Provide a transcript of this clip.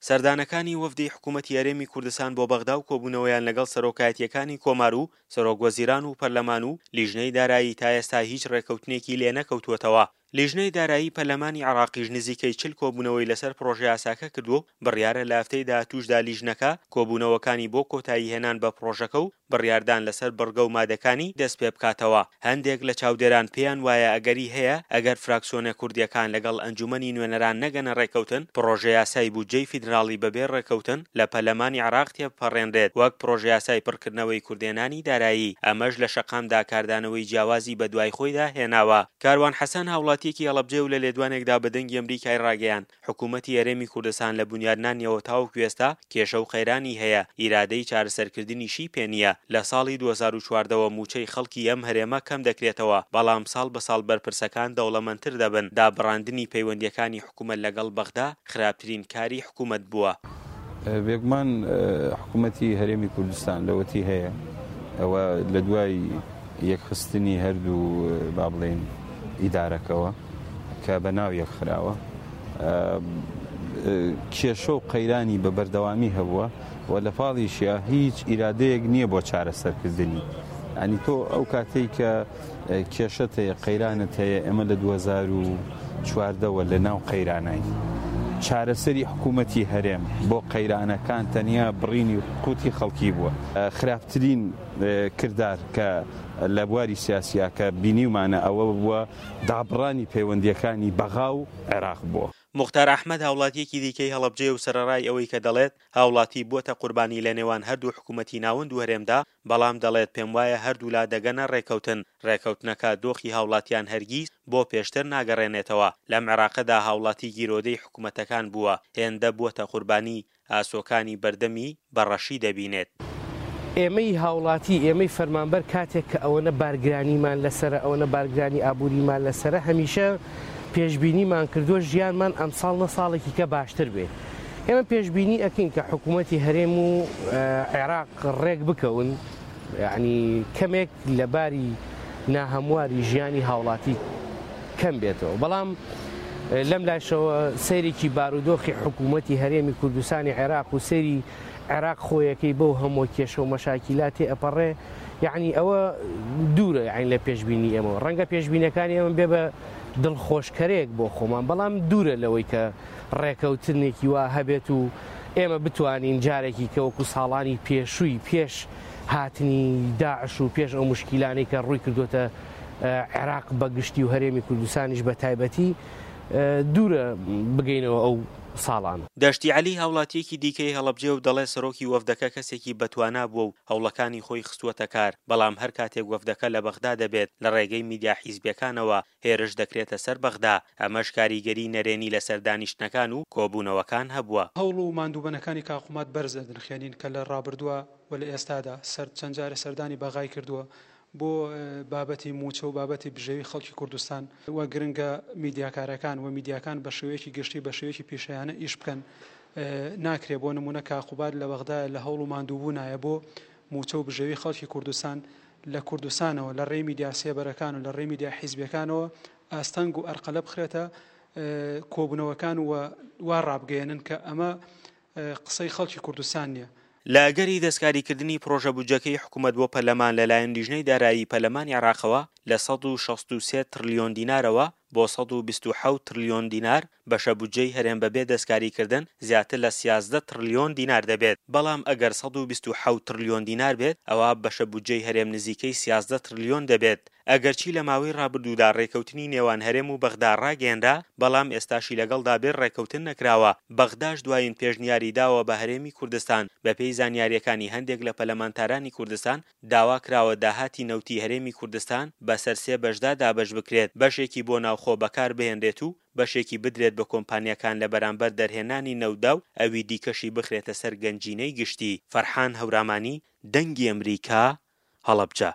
سەردانەکانی وەفدی حکوومەتی هەرێمی کوردستان بۆ بەغدا و کۆبوونەوەیان لەگەڵ سەرۆکایەتییەکانی کۆمار و سەرۆکوەزیران و پەرلەمان و لیژنەی دارایی تا ئێستا هیچ ڕێککەوتنێکی لێ نەکەوتووەتەوە. لیژنەی دارایی پەرلەمانی عێراقیش نزیکەی 40 کۆبوونەوەی لەسەر پڕۆژەیاساکە کردووە و بڕیارە لە هەفتەی داهاتووشدا لیژنەکە کۆبوونەوەکانی بۆ کۆتاییهێنان بە پڕۆژەکە و بڕیاردان لەسەر بڕگە و مادەکانی دەستپێبکاتەوە. هەندێک لە چاودێران پێیان وایە ئەگەری هەیە ئەگەر فراکسیۆنە کوردییەکان لەگەڵ ئەنجومەنی نوێنەران نەگەنە ڕێککەوتن، پڕۆژەیاسای بودجەی فیدراڵی بەبێ ڕێککەوتن لە پەرلەمانی عێراق تێبپەڕێنرێت وەک پڕۆژەیاسای پڕکردنەوەی کورتهێنانی دارایی، ئەمەش لە شەقامدا کاردانەوەی جیاوازی بەدوای خۆیدا هێناوە. کاروان حەسەن هاوڵاتییەکی هەڵەبجەیە و لە لێدوانێکدا بە دەنگی ئەمریکای ڕاگەیاند، حکوومەتی هەرێمی کوردستان لە بونیادنانیەوە تاوەکو ئێستا کێشە و قەیرانی هەیە، ئیرادەی چارەسەرکردنیشی پێ نییە. لە ساڵی 2014 وە مووچەی خەڵکی ئەم هەرێمە کەم دەکرێتەوە، بەڵام ساڵ بە ساڵ بەرپرسەکان دەوڵەمەندتر دەبن. دابڕاندنی پەیوەندییەکانی حکوومەت لەگەڵ بەغدا خراپترین کاری حکوومەت بووە. بێگومان حکوومەتی هەرێمی کوردستان لەوەتی هەیە ئەوە لە دوای یەکخستنی هەردوو با بڵێین ئیدارەکەوە کە بە ناو یەکخراوە کێشە و قەیرانی بە بەردەوامی هەبووە و لە پاڵیشیا هیچ ئیرادەیەک نییە بۆ چارەسەرکردنی ئەنی تۆ ئەو کاتێک کە کێشەت هەیە قەیرانت هەیە ئێمە لە 2014ەوە لە ناو قەیرانین چارەسەری حکوومەتی هەرێم بۆ قەیرانەکان تەنیا بڕینی قوتی خەڵکی بووە خراپترین کردار کە لە بواری سیاسیا کە بینیومانە ئەوە بووە دابڕانی پەیوەندییەکانی بەغا و عێراق بووە. موختار ئەحمەد هاوڵاتییەکی دیکەی هەڵەبجەیە و سەرەڕای ئەوەی کە دەڵێت هاوڵاتی بووەتە قوربانی لە نێوان هەردوو حکومەتی ناوەند و هەرێمدا، بەڵام دەڵێت پێموایە هەردوولا دەگەنە ڕێککەوتن، ڕێککەوتنەکە دۆخی هاوڵاتیان هەرگیز بۆ پێشتر ناگەڕێنێتەوە، لەم عێراقەدا هاوڵاتی گیرۆدەی حکومەتەکان بووە، هێندە بووەتە قوربانی ئاسۆکانی بەردەمی بە ڕەشی دەبینێت. ئێمەی هاوڵاتی، ئێمەی فەرمانبەر کاتێک کە ئەوەنە بارگرانیمان لەسەرە، ئەوەنە بارگرانی ئابووریمان لەسەرە، هەمیشە پێشبینیمان کردووە ژیانمان ئەمساڵ نە ساڵێکی کە باشتر بێ. ئێمە پێشبینی ئەکەین کە حکوومەتی هەرێم و عێراق ڕێک بکەون، یانی کەمێک لە باری ناهەمواری ژیانی هاوڵاتی کەم بێتەوە بەڵام لەم لاشەوە سەیرێکی بارودۆخی حکوومەتی هەرێمی کوردستانی عێراق و سەیری عێراق خۆیەکەی بەو هەموو کێشە و مەشاکیلا تێ ئەپەڕێ یعنی ئەوە دوورە یعنی لە پێشبینی ئێمەوە ڕەنگە پێشبینەکانی ئێمە بێ بە دڵخۆشکەرێک بۆ خۆمان بەڵام دوورە لەوەی کە ڕێکەوتنێکی وا هەبێت و ئێمە بتوانین جارێکی کە وەکو ساڵانی پێشووی پێش هاتنی داعش و پێش ئەو موشکیلانەی کە ڕووی کردووەتە عێراق بە گشتی و هەرێمی کوردستانیش بە تایبەتی دوورە بگەینەوە ئەو ساڵانە. دەشتی عەلی هاوڵاتییەکی دیکەی هەڵەبجەیە و دەڵێت سەرۆکی وەفدەکە کەسێکی بەتوانا بووە و هەوڵەکانی خۆی خستووەتە کار، بەڵام هەر کاتێک وەفدەکە لە بەغدا دەبێت لە ڕێگەی میدیا حیزبییەکانەوە هێرش دەکرێتە سەر بەغدا، ئەمەش کاریگەری نەرێنی لەسەر دانیشتنەکان و کۆبوونەوەکان هەبووە. هەوڵ و ماندووبەنەکانی کاک قوماد بەرز ئەدنرخێنین کە لە ڕابردووە و لە ئێستادا سەر چەند جارێ سەردانی بەغای کردووە بۆ بابەتی مووچە و بابەتی بژێوی خەڵکی کوردستان و گرنگە میدیاکارەکان و میدیاکان بە شێوەیەکی گشتی بە شێوەیەکی پیشەیانە ئیش بکەن ناکرێ بۆ نموونە کاک قوباد لە بەغدایە لە هەوڵ و ماندووبوونایە بۆ مووچە و بژێوی خەڵکی کوردستان لە کوردستانەوە لە ڕێی میدیا سێبەرەکان و لە ڕێی میدیا حیزبیەکانەوە ئاستەنگ و ئەرقەلە بخرێتە کۆبوونەوەکان و وا ڕابگەیەنن کە ئەمە قسەی خەڵکی کوردستان نیە. لە ئەگەری دەستکاریکردنی پڕۆژە بودجەکەی حکومەت بۆ پەرلەمان لەلایەن لیژنەی دارایی پەرلەمانی عێراقەوە لە 163 تڕلیۆن دینارەوە بۆ 127 تڕلیۆن دینار بەشە بودجەی هەرێم بەبێ دەستکاریکردن زیاتر لە 13 تڕلیۆن دینار دەبێت، بەڵام ئەگەر 127 تڕلیۆن دینار بێت ئەوا بەشە بودجەی هەرێم نزیکەی 13 تڕلیۆن دەبێت. ئەگەرچی لە ماوەی ڕابردوودا ڕێکەوتنی نێوان هەرێم و بەغدا ڕاگەیەنرا، بەڵام ئێستاشی لەگەڵدا بێت ڕێکەوتن نەکراوە، بەغداش دوایین پێشنیاری داوە بە هەرێمی کوردستان، بەپێی زانیارییەکانی هەندێک لە پەلەمانتارانی کوردستان، داوا کراوە داهاتی نەوتی هەرێمی کوردستان بەسەر سێ بەشدا دابەش بکرێت، بەشێکی بۆ ناوخۆ بەکار بهێنرێت و بەشێکی بدرێت بە کۆمپانیاکان لە بەرامبەر دەرهێنانی نەوتدا و ئەوی دیکەشی بخرێتە سەر گەنجینەی گشتی. فەرحان هەورامانی، دەنگی ئەمریکا، هەڵەبجە.